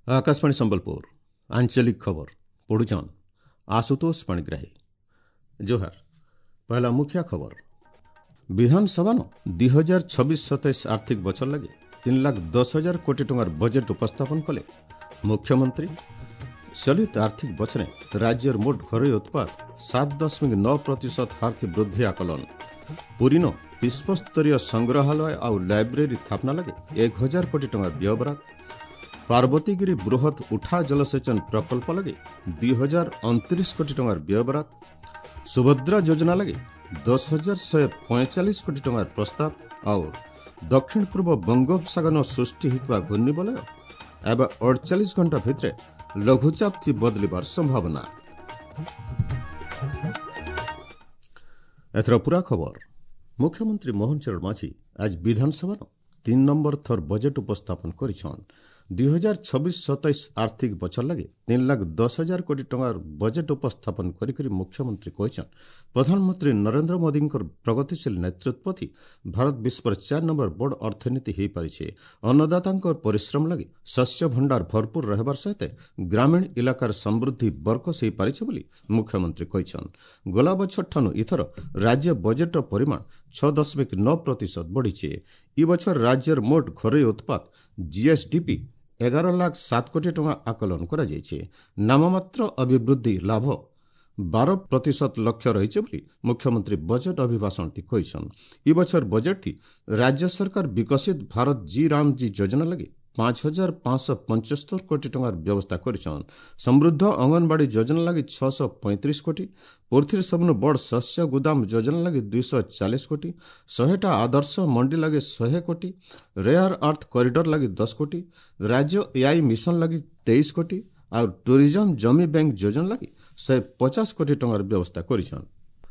ଆକାଶବାଣୀ ସମ୍ବଲପୁର ଆଞ୍ଚଳିକ ଖବର ପଢୁଛନ୍ ଆଶୁତୋଷ ପାଣିଗ୍ରାହୀ। ଜୁହାର। ପହଲା ମୁଖ୍ୟ ଖବର। ବିଧାନସଭାନ 2026-27 ଆର୍ଥିକ ବଛର ଲାଗି 3,10,000 କୋଟି ଟଙ୍କାର ବଜେଟ୍ ଉପସ୍ଥାପନ କଲେ ମୁଖ୍ୟମନ୍ତ୍ରୀ। ଚଳିତ ଆର୍ଥିକ ବଛରେ ରାଜ୍ୟର ମୋଟ ଘରୋଇ ଉତ୍ପାଦ 7.9% ହାର୍ଥି ବୃଦ୍ଧି ଆକଳନ। ପୁରୀନ ବିଶ୍ୱସ୍ତରୀୟ ସଂଗ୍ରହାଳୟ ଆଉ ଲାଇବ୍ରେରୀ ସ୍ଥାପନା ଲାଗି 1000 କୋଟି ଟଙ୍କା ବ୍ୟୟବରାଦ। ପାର୍ବତୀଗିରି ବୃହତ ଉଠା ଜଳସେଚନ ପ୍ରକଳ୍ପ ଲାଗି 2029 କୋଟି ଟଙ୍କାର ବ୍ୟୟବରାଦ। ସୁଭଦ୍ରା ଯୋଜନା ଲାଗି 10,145 କୋଟି ଟଙ୍କାର ପ୍ରସ୍ତାବ। ଆଉ ଦକ୍ଷିଣ ପୂର୍ବ ବଙ୍ଗୋପସାଗର ସୃଷ୍ଟି ହୋଇଥିବା ଘୂର୍ଣ୍ଣିବଳୟ ଏବେ 48 ଘଣ୍ଟା ଭିତରେ ଲଘୁଚାପ ଥି ବଦଳିବାର ସମ୍ଭାବନା। ଏଥର ପୁରା ଖବର। ମୁଖ୍ୟମନ୍ତ୍ରୀ ମୋହନ ଚରଣ ମାଝୀ ଆଜି ବିଧାନସଭାର 3 ନମ୍ବର ଥର ବଜେଟ୍ ଉପସ୍ଥାପନ କରିଛନ୍। 2026-27 ଆର୍ଥିକ ବଛର ଲାଗି 3,10,000 କୋଟି ଟଙ୍କାର ବଜେଟ୍ ଉପସ୍ଥାପନ କରିକରି ମୁଖ୍ୟମନ୍ତ୍ରୀ କହିଛନ୍, ପ୍ରଧାନମନ୍ତ୍ରୀ ନରେନ୍ଦ୍ର ମୋଦିଙ୍କର ପ୍ରଗତିଶୀଳ ନେତୃତ୍ୱ ଭାରତ ବିଶ୍ୱର 4 ନମ୍ବର ବଡ଼ ଅର୍ଥନୀତି ହୋଇପାରିছে। ଅନ୍ନଦାତାଙ୍କ ପରିଶ୍ରମ ଲାଗି ଶସ୍ୟ ଭଣ୍ଡାର ଭରପୁର ରହିବାର ସହିତ ଗ୍ରାମୀଣ ଇଲାକାର ସମୃଦ୍ଧି ବରକସ ହୋଇପାରିছে ବୋଲି ମୁଖ୍ୟମନ୍ତ୍ରୀ କହିଛନ୍। ଗଲା ବଛରଠାନୁ ଏଥର ରାଜ୍ୟ ବଜେଟ୍ର ପରିମାଣ 6.9% ବଢ଼ିছে। ଇ ବଛର ରାଜ୍ୟର ମୋଟ ଘରୋଇ ଉତ୍ପାଦ ଜିଏସ୍ଡିପି 11,07 କୋଟି ଟଙ୍କା ଆକଳନ କରାଯାଇଛି। ନାମମାତ୍ର ଅଭିବୃଦ୍ଧି ଲାଭ 12% ଲକ୍ଷ୍ୟ ରହିଛି ବୋଲି ମୁଖ୍ୟମନ୍ତ୍ରୀ ବଜେଟ୍ ଅଭିଭାଷଣଟି କହିଛନ୍। ଇ ବଛର ବଜେଟ୍ଟି ରାଜ୍ୟ ସରକାର ବିକଶିତ ଭାରତ ଜି ରାମ ଜି ଯୋଜନା ଲାଗି 5,575 କୋଟି ଟଙ୍କାର ବ୍ୟବସ୍ଥା କରିଛନ୍। ସମୃଦ୍ଧ ଅଙ୍ଗନବାଡ଼ି ଯୋଜନା ଲାଗି 635 କୋଟି, ପୃଥିବୀର ସବୁନୁ ବଡ଼ ଶସ୍ୟ ଗୋଦାମ ଯୋଜନା ଲାଗି 240 କୋଟି, 100ଟା ଆଦର୍ଶ ମଣ୍ଡି ଲାଗି 100 କୋଟି, ରେୟାର ଆର୍ଥ କରିଡର ଲାଗି 10 କୋଟି, ରାଜ୍ୟ ଏଆଇ ମିଶନ ଲାଗି 23 କୋଟି ଆଉ ଟୁରିଜମ ଜମି ବ୍ୟାଙ୍କ ଯୋଜନା ଲାଗି 150 କୋଟି ଟଙ୍କାର ବ୍ୟବସ୍ଥା କରିଛନ୍।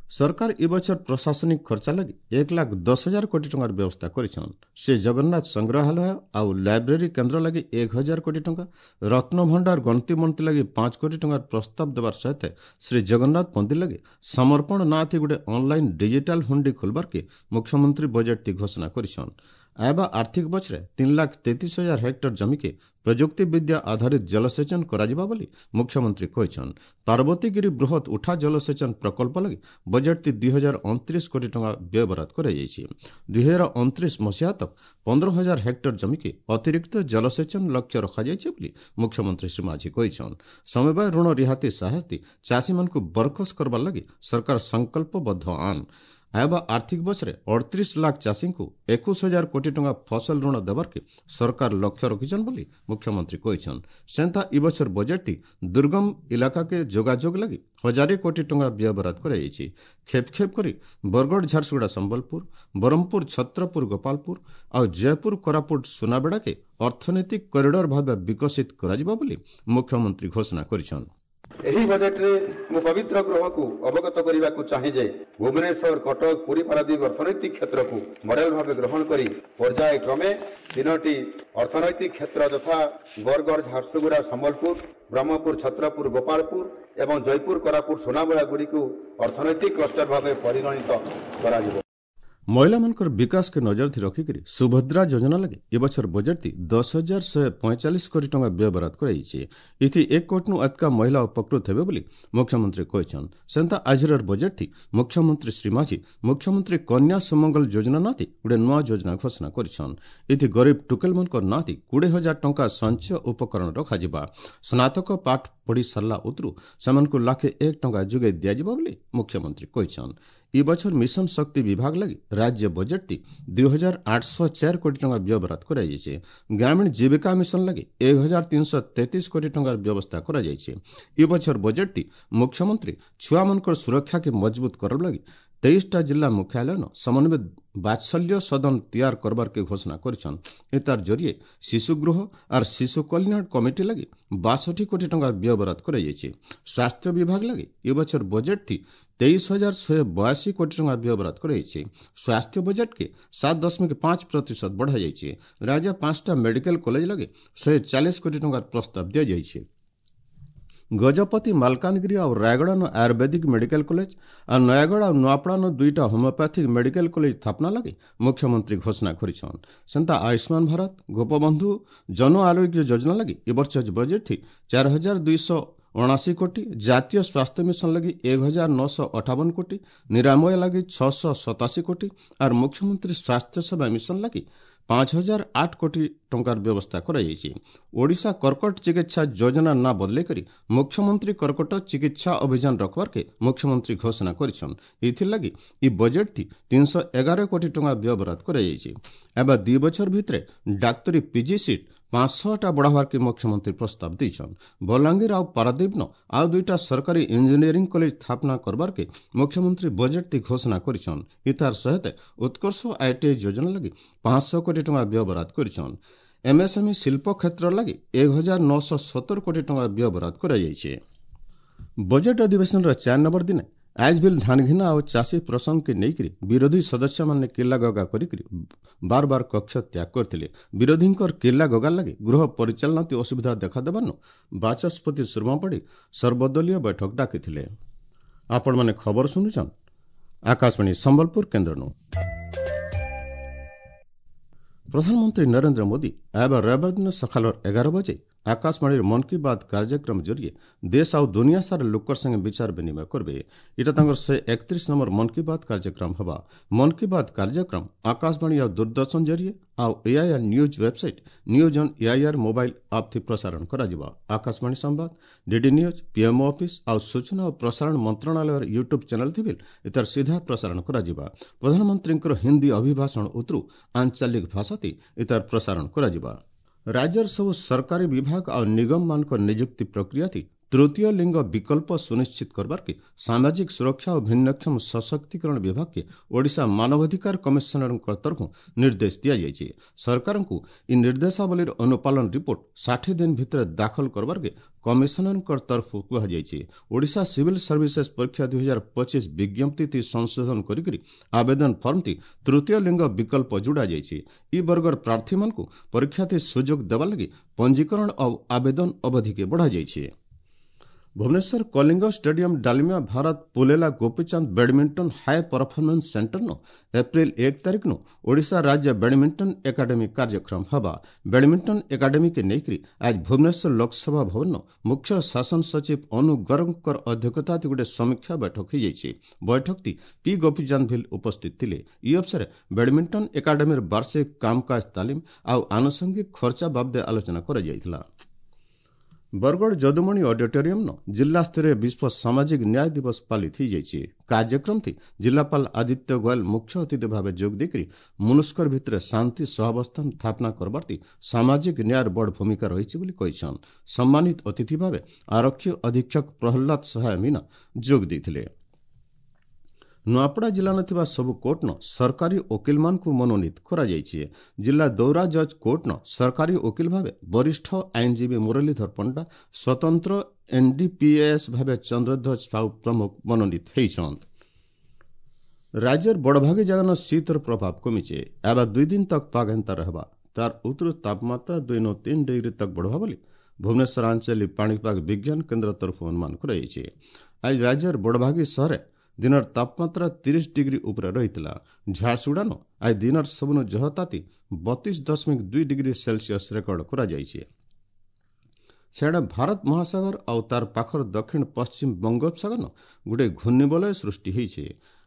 ସରକାର ଏ ବଛର ପ୍ରଶାସନିକ ଖର୍ଚ୍ଚ ଲାଗି 1,10,000 କୋଟି ଟଙ୍କାର ବ୍ୟବସ୍ଥା କରିଛନ୍। ସେ ଜଗନ୍ନାଥ ସଂଗ୍ରହାଳୟ ଆଉ ଲାଇବ୍ରେରୀ କେନ୍ଦ୍ର ଲାଗି 1000 କୋଟି ଟଙ୍କା, ରତ୍ନଭଣ୍ଡାର ଗଣତି ମନ୍ତ୍ରୀ ଲାଗି 5 କୋଟି ଟଙ୍କାର ପ୍ରସ୍ତାବ ଦେବାର ସହିତ ଶ୍ରୀ ଜଗନ୍ନାଥ ମନ୍ଦିର ଲାଗି ସମର୍ପଣ ନାଁଥି ଗୋଟେ ଅନଲାଇନ୍ ଡିଜିଟାଲ ହୁଣ୍ଡି ଖୋଲବାର୍କେ ମୁଖ୍ୟମନ୍ତ୍ରୀ ବଜେଟ୍ଟି ଘୋଷଣା କରିଛନ୍। ଆଇବା ଆର୍ଥିକ ବଛରେ 3,33,000 ହେକ୍ଟର ଜମିକେ ପ୍ରଯୁକ୍ତି ବିଦ୍ୟା ଆଧାରିତ ଜଳସେଚନ କରାଯିବା ବୋଲି ମୁଖ୍ୟମନ୍ତ୍ରୀ କହିଛନ୍। ପାର୍ବତୀଗିରି ବୃହତ ଉଠା ଜଳସେଚନ ପ୍ରକଳ୍ପ ଲାଗି ବଜେଟ୍ଟି 2029 କୋଟି ଟଙ୍କା ବ୍ୟୟବରାଦ କରାଯାଇଛି। 2029 ମସିହା ତକ 15,000 ହେକ୍ଟର ଜମିକେ ଅତିରିକ୍ତ ଜଳସେଚନ ଲକ୍ଷ୍ୟ ରଖାଯାଇଛି ବୋଲି ମୁଖ୍ୟମନ୍ତ୍ରୀ ଶ୍ରୀ ମାଝୀ କହିଛନ୍। ସମବାୟ ଋଣ ରିହାତି ସାହାଯ୍ୟ ଚାଷୀମାନଙ୍କୁ ବରକସ କରବାର ଲାଗି ସରକାର ସଂକଳ୍ପବଦ୍ଧ ଆନ୍। ଆଇବା ଆର୍ଥିକ ବଛରେ 38 ଲାଖ ଚାଷୀଙ୍କୁ 21,000 କୋଟି ଟଙ୍କା ଫସଲ ଋଣ ଦେବାର୍କେ ସରକାର ଲକ୍ଷ୍ୟ ରଖିଛନ୍ ବୋଲି ମୁଖ୍ୟମନ୍ତ୍ରୀ କହିଛନ୍। ସେନ୍ତା ଇ ବଛର ବଜେଟ୍ଟି ଦୁର୍ଗମ ଇଲାକାକେ ଯୋଗାଯୋଗ ଲାଗି 1000 କୋଟି ଟଙ୍କା ବ୍ୟୟବରାଦ କରାଯାଇଛି। ଖେପ ଖେପ କରି ବରଗଡ଼, ଝାରସୁଗୁଡ଼ା, ସମ୍ବଲପୁର, ବ୍ରହ୍ମପୁର, ଛତ୍ରପୁର, ଗୋପାଳପୁର ଆଉ ଜୟପୁର, କୋରାପୁଟ, ସୁନାବେଡ଼ାକେ ଅର୍ଥନୈତିକ କରିଡର ଭାବେ ବିକଶିତ କରାଯିବ ବୋଲି ମୁଖ୍ୟମନ୍ତ୍ରୀ ଘୋଷଣା କରିଛନ୍। ଏହି ବଜେଟରେ ମୁଁ ପବିତ୍ର ଗୃହକୁ ଅବଗତ କରିବାକୁ ଚାହେଁ ଯେ ଭୁବନେଶ୍ୱର, କଟକ, ପୁରୀ, ପାରାଦୀପ ଅର୍ଥନୈତିକ କ୍ଷେତ୍ରକୁ ମଡେଲ ଭାବେ ଗ୍ରହଣ କରି ପର୍ଯ୍ୟାୟକ୍ରମେ 3ଟି ଅର୍ଥନୈତିକ କ୍ଷେତ୍ର ଯଥା ବରଗଡ଼, ଝାରସୁଗୁଡ଼ା, ସମ୍ବଲପୁର, ବ୍ରହ୍ମପୁର, ଛତ୍ରପୁର, ଗୋପାଳପୁର ଏବଂ ଜୟପୁର, କୋରାପୁଟ, ସୁନାବେଡ଼ା ଗୁଡ଼ିକୁ ଅର୍ଥନୈତିକ କ୍ଲଷ୍ଟର ଭାବେ ପରିଗଣିତ କରାଯିବ। ମହିଳାମାନଙ୍କର ବିକାଶକେ ନଜର ରଖିକରି ସୁଭଦ୍ରା ଯୋଜନା ଲାଗି ଏ ବଛର ବଜେଟ୍ଟି 10,145 କୋଟି ଟଙ୍କା ବ୍ୟୟବରାଦ କରାଯାଇଛି। ଏଥି 1 କୋଟିନୁ ଅଧିକା ମହିଳା ଉପକୃତ ହେବେ ବୋଲି ମୁଖ୍ୟମନ୍ତ୍ରୀ କହିଛନ୍। ସେନ୍ତା ଆଜିର ବଜେଟ୍ଟି ମୁଖ୍ୟମନ୍ତ୍ରୀ ଶ୍ରୀ ମାଝୀ ମୁଖ୍ୟମନ୍ତ୍ରୀ କନ୍ୟା ସୁମଙ୍ଗଲ ଯୋଜନା ନାତି ଗୋଟେ ନୂଆ ଯୋଜନା ଘୋଷଣା କରିଛନ୍। ଏଥି ଗରିବ ଟୁକେଲମାନଙ୍କର ନାତି 20,000 ଟଙ୍କା ସଞ୍ଚୟ ଉପକରଣ ରଖାଯିବା। ସ୍ନାତକ ପାଠ ପଢ଼ି ସାରିଲା ଉତରୁ ସେମାନଙ୍କୁ 1,01,000 ଟଙ୍କା ଯୋଗାଇ ଦିଆଯିବ ବୋଲି ମୁଖ୍ୟମନ୍ତ୍ରୀ କହିଛନ୍। ଇ ବଛର ମିଶନ ଶକ୍ତି ବିଭାଗ ଲାଗି ରାଜ୍ୟ ବଜେଟ୍ଟି 2,804 କୋଟି ଟଙ୍କା ବ୍ୟୟବରାଦ କରାଯାଇଛି। ଗ୍ରାମୀଣ ଜୀବିକା ମିଶନ ଲାଗି 1,333 କୋଟି ଟଙ୍କାର ବ୍ୟବସ୍ଥା କରାଯାଇଛି। ଇ ବଛର ବଜେଟ୍ଟି ମୁଖ୍ୟମନ୍ତ୍ରୀ ଛୁଆମାନଙ୍କର ସୁରକ୍ଷାକେ ମଜବୁତ କରବା ଲାଗି 23ଟା ଜିଲ୍ଲା ମୁଖ୍ୟାଳୟନ ସମନ୍ୱିତ ବାତ୍ସଲ୍ୟ ସଦନ ତିଆର କରବାର୍କେ ଘୋଷଣା କରିଛନ୍। ଏତାର ଜରିଏ ଶିଶୁଗୃହ ଆର୍ ଶିଶୁ କଲ୍ୟାଣ କମିଟି ଲାଗି 62 କୋଟି ଟଙ୍କା ବ୍ୟୟବରାଦ କରାଯାଇଛି। ସ୍ୱାସ୍ଥ୍ୟ ବିଭାଗ ଲାଗି ଏ ବଛର ବଜେଟ୍ଟି 23,182 କୋଟି ଟଙ୍କା ବ୍ୟୟବରାଦ କରାଯାଇଛି। ସ୍ୱାସ୍ଥ୍ୟ ବଜେଟ୍କେ 7.5% ବଢ଼ାଯାଇଛି। ରାଜ୍ୟ 5ଟା ମେଡିକାଲ କଲେଜ ଲାଗି 140 କୋଟି ଟଙ୍କାର ପ୍ରସ୍ତାବ ଦିଆଯାଇଛି। ଗଜପତି, ମାଲକାନଗିରି ଆଉ ରାୟଗଡ଼ାନ ଆୟୁର୍ବେଦିକ ମେଡିକାଲ କଲେଜ ଆଉ ନୟାଗଡ଼ ଆଉ ନୂଆପଡ଼ାନ 2ଟା ହୋମିଓପାଥିକ ମେଡିକାଲ କଲେଜ ସ୍ଥାପନା ଲାଗି ମୁଖ୍ୟମନ୍ତ୍ରୀ ଘୋଷଣା କରିଛନ୍। ସେନ୍ତା ଆୟୁଷ୍ମାନ ଭାରତ, ଗୋପବନ୍ଧୁ ଜନ ଆରୋଗ୍ୟ ଯୋଜନା ଲାଗି ଏ ବର୍ଷ ବଜେଟ୍ 4279 କୋଟି, ଜାତୀୟ ସ୍ୱାସ୍ଥ୍ୟ ମିଶନ ଲାଗି 1958 କୋଟି, ନିରାମୟ ଲାଗି 687 କୋଟି ଆର୍ ମୁଖ୍ୟମନ୍ତ୍ରୀ ସ୍ୱାସ୍ଥ୍ୟ ସେବା ମିଶନ ଲାଗି 5008 କୋଟି ଟଙ୍କାର ବ୍ୟବସ୍ଥା କରାଯାଇଛି। ଓଡ଼ିଶା କର୍କଟ ଚିକିତ୍ସା ଯୋଜନା ନାଁ ବଦଲେଇକରି ମୁଖ୍ୟମନ୍ତ୍ରୀ କର୍କଟ ଚିକିତ୍ସା ଅଭିଯାନ ରଖବାର୍କେ ମୁଖ୍ୟମନ୍ତ୍ରୀ ଘୋଷଣା କରିଛନ୍। ଏଥିର୍ଲାଗି ଇ ବଜେଟ୍ଥି 311 କୋଟି ଟଙ୍କା ବ୍ୟୟବରାଦ କରାଯାଇଛି। ଏବେ 2 ବଛର ଭିତରେ ଡାକ୍ତରୀ ପିଜି ସିଟ୍ 500ଟା ବଢ଼ାବାର୍କେ ମୁଖ୍ୟମନ୍ତ୍ରୀ ପ୍ରସ୍ତାବ ଦେଇଛନ୍। ବଲାଙ୍ଗୀର ଆଉ ପାରାଦୀପନ ଆଉ 2ଟା ସରକାରୀ ଇଞ୍ଜିନିୟରିଂ କଲେଜ ସ୍ଥାପନା କରବାର୍କେ ମୁଖ୍ୟମନ୍ତ୍ରୀ ବଜେଟ୍ଥି ଘୋଷଣା କରିଛନ୍। ଇତାର ସହିତ ଉତ୍କର୍ଷ ଆଇଟିଆଇ ଯୋଜନା ଲାଗି 500 କୋଟି ଟଙ୍କା ବ୍ୟୟବରାଦ କରିଛନ୍। ଏମ୍ଏସ୍ଏମ୍ଇ ଶିଳ୍ପ କ୍ଷେତ୍ର ଲାଗି 1970 କୋଟି ଟଙ୍କା ବ୍ୟୟବରାଦ କରାଯାଇଛି। ବଜେଟ୍ ଅଧିବେଶନର 4 ନମ୍ବର ଦିନେ ଆଜ୍ ବିଲ୍ ଧାନଘିନା ଆଉ ଚାଷୀ ପ୍ରସଙ୍ଗକେ ନେଇକରି ବିରୋଧୀ ସଦସ୍ୟମାନେ କିଲ୍ଲାଗଗା କରିକରି ବାର ବାର କକ୍ଷ ତ୍ୟାଗ କରିଥିଲେ। ବିରୋଧୀଙ୍କର କିଲ୍ଲାଗଗା ଲାଗି ଗୃହ ପରିଚାଳନାତି ଅସୁବିଧା ଦେଖାଦେବାରୁ ବାଚସ୍ପତି ସୁରମା ପାଢ଼ୀ ସର୍ବଦଳୀୟ ବୈଠକ ଡାକିଥିଲେ। ଆପଣମାନେ ଖବର ଶୁଣୁଛନ୍ ଆକାଶବାଣୀ ସମ୍ବଲପୁର କେନ୍ଦ୍ରନୁ। ପ୍ରଧାନମନ୍ତ୍ରୀ ନରେନ୍ଦ୍ର ମୋଦି ଏବେ ରବିବାର ଦିନ ସକାଳ 11 ବଜେ ଆକାଶବାଣୀର ମନ୍ କି ବାତ୍ କାର୍ଯ୍ୟକ୍ରମ ଜରିଏ ଦେଶ ଆଉ ଦୁନିଆ ସାରା ଲୋକର ସାଙ୍ଗେ ବିଚାର ବିନିମୟ କରିବେ। ଏଇଟା ତାଙ୍କର 131 ନମ୍ବର ମନ୍ କି ବାତ୍ କାର୍ଯ୍ୟକ୍ରମ ହେବା। ମନ୍ କି ବାତ୍ କାର୍ଯ୍ୟକ୍ରମ ଆକାଶବାଣୀ ଆଉ ଦୂରଦର୍ଶନ ଜରିଏ ଆଉ AIR news website, news on AIR mobile app ଥି ପ୍ରସାରଣ କରାଯିବ। ଆକାଶବାଣୀ ସମ୍ବାଦ, ଡିଡି ନ୍ୟୁଜ୍, ପିଏମ୍ଓ ଅଫିସ୍ ଆଉ ସୂଚନା ଓ ପ୍ରସାରଣ ମନ୍ତ୍ରଣାଳୟର ୟୁଟ୍ୟୁବ୍ ଚ୍ୟାନେଲ୍ ଥି ବିଲ୍ ଏତାର ସିଧା ପ୍ରସାରଣ କରାଯିବ। ପ୍ରଧାନମନ୍ତ୍ରୀଙ୍କର ହିନ୍ଦୀ ଅଭିଭାଷଣ ଉତରୁ ଆଞ୍ଚଳିକ ଭାଷାତି ଏତାର ପ୍ରସାରଣ କରାଯିବ। ରାଜ୍ୟର ସବୁ ସରକାରୀ ବିଭାଗ ଆଉ ନିଗମମାନଙ୍କ ନିଯୁକ୍ତି ପ୍ରକ୍ରିୟାତି ତୃତୀୟ ଲିଙ୍ଗ ବିକଳ୍ପ ସୁନିଶ୍ଚିତ କରବାର୍କେ ସାମାଜିକ ସୁରକ୍ଷା ଓ ଭିନ୍ନକ୍ଷମ ସଶକ୍ତିକରଣ ବିଭାଗକେ ଓଡ଼ିଶା ମାନବାଧିକାର କମିଶନରଙ୍କ ତରଫରୁ ନିର୍ଦ୍ଦେଶ ଦିଆଯାଇଛି। ସରକାରଙ୍କୁ ଇ ନିର୍ଦ୍ଦେଶାବଳୀର ଅନୁପାଳନ ରିପୋର୍ଟ 60 ଦିନ ଭିତରେ ଦାଖଲ କରବାର୍କେ କମିଶନରଙ୍କ ତରଫରୁ କୁହାଯାଇଛି। ଓଡ଼ିଶା ସିଭିଲ୍ ସର୍ଭିସେସ୍ ପରୀକ୍ଷା 2025 ବିଜ୍ଞପ୍ତି ସଂଶୋଧନ କରିକରି ଆବେଦନ ଫର୍ମଟି ତୃତୀୟ ଲିଙ୍ଗ ବିକଳ୍ପ ଯୋଡ଼ାଯାଇଛି। ଇ ବର୍ଗର ପ୍ରାର୍ଥୀମାନଙ୍କୁ ପରୀକ୍ଷାଥି ସୁଯୋଗ ଦେବା ଲାଗି ପଞ୍ଜୀକରଣ ଆଉ ଆବେଦନ ଅବଧିକେ ବଢ଼ାଯାଇଛି। Bhubaneswar Kalinga stadium Dalmia Bharat Pullela Gopichand badminton high performance ସେଣ୍ଟରନୁ April 1 ତାରିଖନୁ Odisha ରାଜ୍ୟ ବ୍ୟାଡମିଣ୍ଟନ ଏକାଡେମୀ କାର୍ଯ୍ୟକ୍ରମ ହେବା। ବ୍ୟାଡମିଣ୍ଟନ ଏକାଡେମୀକେ ନେଇକରି ଆଜ ଭୁବନେଶ୍ୱର ଲୋକସଭା ଭବନ ମୁଖ୍ୟ ଶାସନ ସଚିବ ଅନୁ ଗର୍ଗଙ୍କର ଅଧ୍ୟକ୍ଷତାରେ ଗୋଟେ ସମୀକ୍ଷା ବୈଠକ ହୋଇଯାଇଛି। ବୈଠକଟି ପି ଗୋପୀଚାନ୍ଦ ଭିଲ୍ ଉପସ୍ଥିତ ଥିଲେ। ଇ ଅବସରରେ ବ୍ୟାଡମିଣ୍ଟନ ଏକାଡେମୀର ବାର୍ଷିକ କାମକାଜ ତାଲିମ ଆଉ ଆନୁଷଙ୍ଗିକ ଖର୍ଚ୍ଚା ବାବଦେ ଆଲୋଚନା କରାଯାଇଥିଲା। ବରଗଡ଼ ଯଦୁମଣି ଅଡିଟୋରିୟମ୍ନ ଜିଲ୍ଲାସ୍ତରୀୟ ବିଶ୍ୱ ସାମାଜିକ ନ୍ୟାୟ ଦିବସ ପାଳିତ ହୋଇଯାଇଛି। କାର୍ଯ୍ୟକ୍ରମଟି ଜିଲ୍ଲାପାଳ ଆଦିତ୍ୟ ଗୋୟଲ ମୁଖ୍ୟ ଅତିଥି ଭାବେ ଯୋଗ ଦେଇକରି ମନୁଷ୍କର ଭିତରେ ଶାନ୍ତି ସହାବସ୍ଥାନ ସ୍ଥାପନା କରବାର୍ତି ସାମାଜିକ ନ୍ୟାୟର ବଡ଼ ଭୂମିକା ରହିଛି ବୋଲି କହିଛନ୍। ସମ୍ମାନିତ ଅତିଥି ଭାବେ ଆରକ୍ଷୀ ଅଧୀକ୍ଷକ ପ୍ରହ୍ଲାଦ ସହାୟ ମୀନା ଯୋଗ ଦେଇଥିଲେ। ନୂଆପଡ଼ା ଜିଲ୍ଲାରେ ଥିବା ସବୁ କୋର୍ଟନ ସରକାରୀ ଓକିଲମାନଙ୍କୁ ମନୋନୀତ କରାଯାଇଛି। ଜିଲ୍ଲା ଦୌରା ଜଜ୍ କୋର୍ଟନ ସରକାରୀ ଓକିଲ ଭାବେ ବରିଷ୍ଠ ଆଇନଜୀବୀ ମୁରଲୀଧର ପଣ୍ଡା, ସ୍ୱତନ୍ତ୍ର ଏନ୍ଡିପିଏସ୍ ଭାବେ ଚନ୍ଦ୍ରଧ୍ୱଜ ସାହୁ ପ୍ରମୁଖ ମନୋନୀତ ହୋଇଛନ୍। ରାଜ୍ୟର ବଡ଼ଭାଗୀ ଜାଗାନ ଶୀତର ପ୍ରଭାବ କମିছে। ଏବେ 2 ଦିନ ତକ ପାଗ ହେନ୍ତା ରହେବା। ତାର ଉତ୍ତର ତାପମାତ୍ରା 2 3 ଡିଗ୍ରୀ ତକ ବଢ଼ବା ବୋଲି ଭୁବନେଶ୍ୱର ଆଞ୍ଚଳିକ ପାଣିପାଗ ବିଜ୍ଞାନ କେନ୍ଦ୍ର ତରଫରୁ ଅନୁମାନ କରାଯାଇଛି। ଆଜି ରାଜ୍ୟର ବଡ଼ଭାଗୀ ସହରରେ ଦିନର ତାପମାତ୍ରା 30 ଡିଗ୍ରୀ ଉପରେ ରହିଥିଲା। ଝାରସୁଗୁଡ଼ାନ ଆଜି ଦିନର ସବୁନୁ ଜହ ତାତି 32.2 ଡିଗ୍ରୀ ସେଲସିୟସ୍ ରେକର୍ଡ କରାଯାଇଛି। ସିଆଡ଼େ ଭାରତ ମହାସାଗର ଆଉ ତାର ପାଖର ଦକ୍ଷିଣ ପଶ୍ଚିମ ବଙ୍ଗୋପସାଗରନ ଗୋଟେ ଘୂର୍ଣ୍ଣିବଳୟ ସୃଷ୍ଟି ହେଇছে।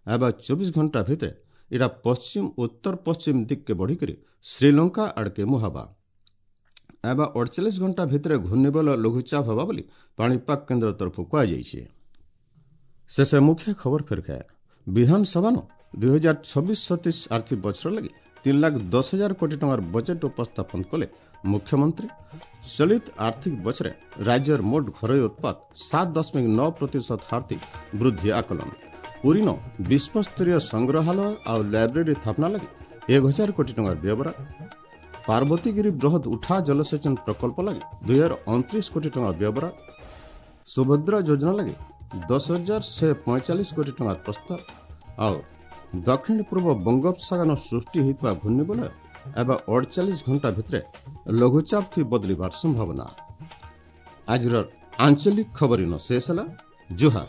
ଏବେ 24 ଘଣ୍ଟା ଭିତରେ ଏଇଟା ପଶ୍ଚିମ ଉତ୍ତର ପଶ୍ଚିମ ଦିଗକେ ବଢ଼ିକରି ଶ୍ରୀଲଙ୍କା ଆଡ଼କେ ମୁହାବା। ଏବେ 48 ଘଣ୍ଟା ଭିତରେ ଘୂର୍ଣ୍ଣିବଳୟ ଲଘୁଚାପ ହେବା ବୋଲି ପାଣିପାଗ କେନ୍ଦ୍ର ତରଫରୁ କୁହାଯାଇଛି। ଶେଷ ମୁଖ୍ୟ ଖବର ଫେର ଖାଏ। ବିଧାନସଭାନ 2026-27 ଆର୍ଥିକ ବଛର ଲାଗି 3,10,000 କୋଟି ଟଙ୍କାର ବଜେଟ୍ ଉପସ୍ଥାପନ କଲେ ମୁଖ୍ୟମନ୍ତ୍ରୀ। ଚଳିତ ଆର୍ଥିକ ବଛରେ ରାଜ୍ୟର ମୋଟ ଘରୋଇ ଉତ୍ପାଦ 7.9% ହାରତି ବୃଦ୍ଧି ଆକଳନ। ପୁରୀନ ବିଶ୍ୱସ୍ତରୀୟ ସଂଗ୍ରହାଳୟ ଆଉ ଲାଇବ୍ରେରୀ ସ୍ଥାପନା ଲାଗି 1000 କୋଟି ଟଙ୍କାର ବ୍ୟବହାର। ପାର୍ବତୀଗିରି ବୃହତ ଉଠା ଜଳସେଚନ ପ୍ରକଳ୍ପ ଲାଗି 2029 କୋଟି ଟଙ୍କା ବ୍ୟବହାର। ସୁଭଦ୍ରା ଯୋଜନା ଲାଗି 10,145 କୋଟି ଟଙ୍କାର ପ୍ରସ୍ତାବ। ଆଉ ଦକ୍ଷିଣ ପୂର୍ବ ବଙ୍ଗୋପସାଗର ସୃଷ୍ଟି ହୋଇଥିବା ଘୂର୍ଣ୍ଣିବଳୟ ଏବେ 48 ଘଣ୍ଟା ଭିତରେ ଲଘୁଚାପ ଥି ବଦଳିବାର ସମ୍ଭାବନା। ଆଜିର ଆଞ୍ଚଳିକ ଖବର ଇନ ଶେଷ ହେଲା। ଜୁହାର।